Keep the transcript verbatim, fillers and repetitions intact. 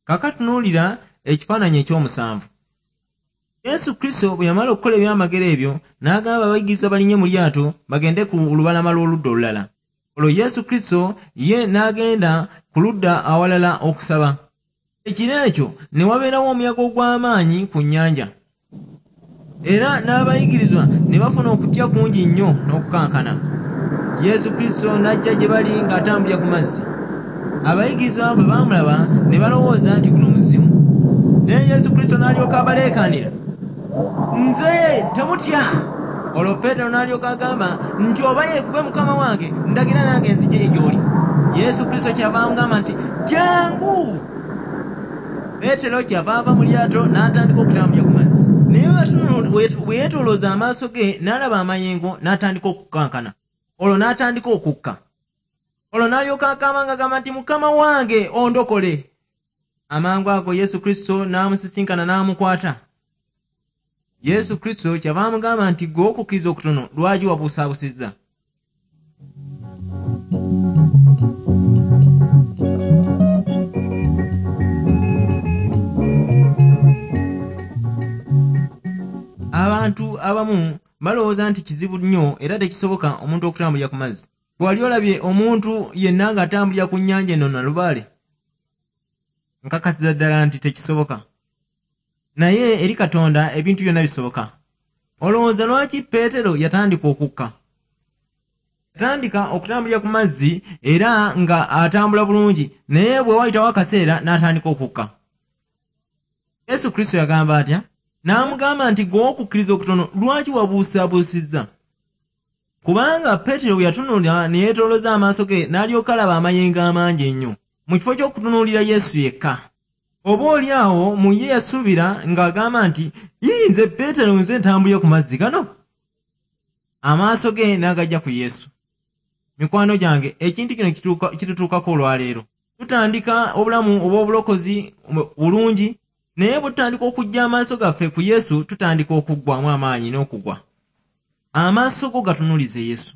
Kaakati tunuulira ekifaananyi eky'omusanvu. Yesu Kristo bwe yamala okukola ebyamagero ebyo, n'agamba abayigirizwa balinnye mu lyato bagende ku lubalama lw'oludda olulala. Olwo Yesu Kristo ye n'agenda ku ludda awalala okusaba. Ekiro ekyo ne wabeerawo omuyaga ogw'amaanyi ku nnyanja. Era n'abayigirizwa ne bafuna okutya kungi nnyo n'okukankana. Yesu Kristo n'ajja gye bali ng'atambulira ku mazzi. Abayigirizwa bwe baamulaba ne balowooza nti guno muzimu. Naye Yesu Kristo n'alyoka abaleekaanira, nze temutya. Olwo Peetero n'alyoka agamba nti oba ye ggwe Mukama wange, ndagira nange nzije gy'oli. Yesu Kristo kyava amugamba nti jjangu. Peetero kyava ava mu lyato n'atandika okutambulira ku mazzi. Naye bwe yeetoolooza amaaso ge n'alaba amayengo n'atandika okukankana. Olwo n'atandika okukka. Olwo n'alyoka akaaba ng'agamba nti Mukama wange ondokole. Amangu ago Yesu Kristo n'amusisinkana n'amukwata. Yesu Kristo kyava amugamba nti ggwe okukkiriza okutono lwaki wabuusaabusizza? Abantu abamu balowooza nti kizibu nnyo era tekisoboka omuntu okutambulira ku mazzi. Bw'ali olabye omuntu yenna ng'atambulira ku nnyanja eno Nalubaale? Nkakasiza ddala nti tekisoboka. Naye eri Katonda ebintu byonna bisoboka. Olowooza lwaki Peetero yatandika okukka? Yatandika okutambulira ku mazzi era nga atambula bulungi, naye bwe wayitawo akaseera n'atandika okukka. Yesu Kristo yagamba atya? N'amugamba nti ggwe okukkiriza okutono lwaki wabuusabuusizza? Kubanga Peetero bwe yatunula ne yeetoolooza amaaso ge n'alyoka alaba amayengo amangi ennyo, mu kifo ky'okutunuulira Yesu yekka. Oba oli awo mu ye yasuubira ng'agamba nti ii nze Peetero nze ntambulira ku mazzi gano. Amaaso ge n'agajja ku Yesu. Mikwano gyange, ekintu kino kitutuukako olwaleero. Tutandika obulamu obw'obulokozi bulungi, naye bwe tutandika okuggya amaaso gaffe ku Yesu, tutandika okuggwamu amaanyi n'okugwa. Amaaso go gatunuulize Yesu.